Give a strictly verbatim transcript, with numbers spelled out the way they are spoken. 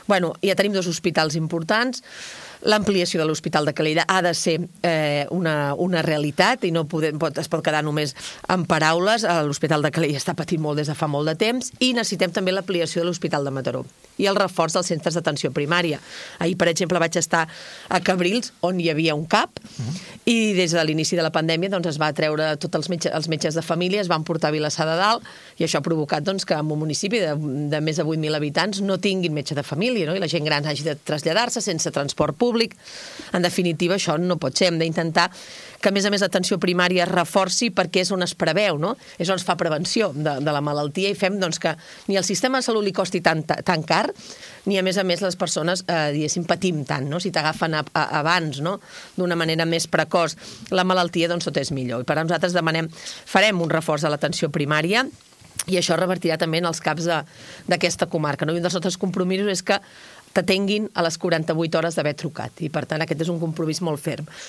Bueno, ja tenim dos hospitals importants. L'ampliació de l'Hospital de Calella ha de ser eh, una, una realitat i no poder, pot, es pot quedar només en paraules. L'Hospital de Calella està patint molt des de fa molt de temps i necessitem també l'ampliació de l'Hospital de Mataró i el reforç dels centres d'atenció primària. Ahir, per exemple, vaig estar a Cabrils, on hi havia un CAP, uh-huh. i des de l'inici de la pandèmia doncs, es va treure tots els metges, els metges de família, es van portar a Vilassar de Dalt, i això ha provocat doncs, que en un municipi de, de més de vuit mil habitants no tinguin metge de família, no? I la gent gran hagi de traslladar-se sense transport públic. En definitiva, això no pot ser. Hem d'intentar que, a més a més, l'atenció primària es reforci perquè és on es preveu, no? És on es fa prevenció de, de la malaltia i fem doncs, que ni el sistema de salut li costi tan, tan car, ni, a més a més, les persones, eh, diguéssim, patim tant, no? Si t'agafen a, a, abans, no? D'una manera més precoç, la malaltia, doncs, tot és millor. I per a nosaltres demanem, farem un reforç de l'atenció primària i això revertirà també en els caps d'aquesta comarca, no? I un dels nostres compromisos és que t'atenguin a les quaranta-vuit hores d'haver trucat i, per tant, aquest és un compromís molt ferm.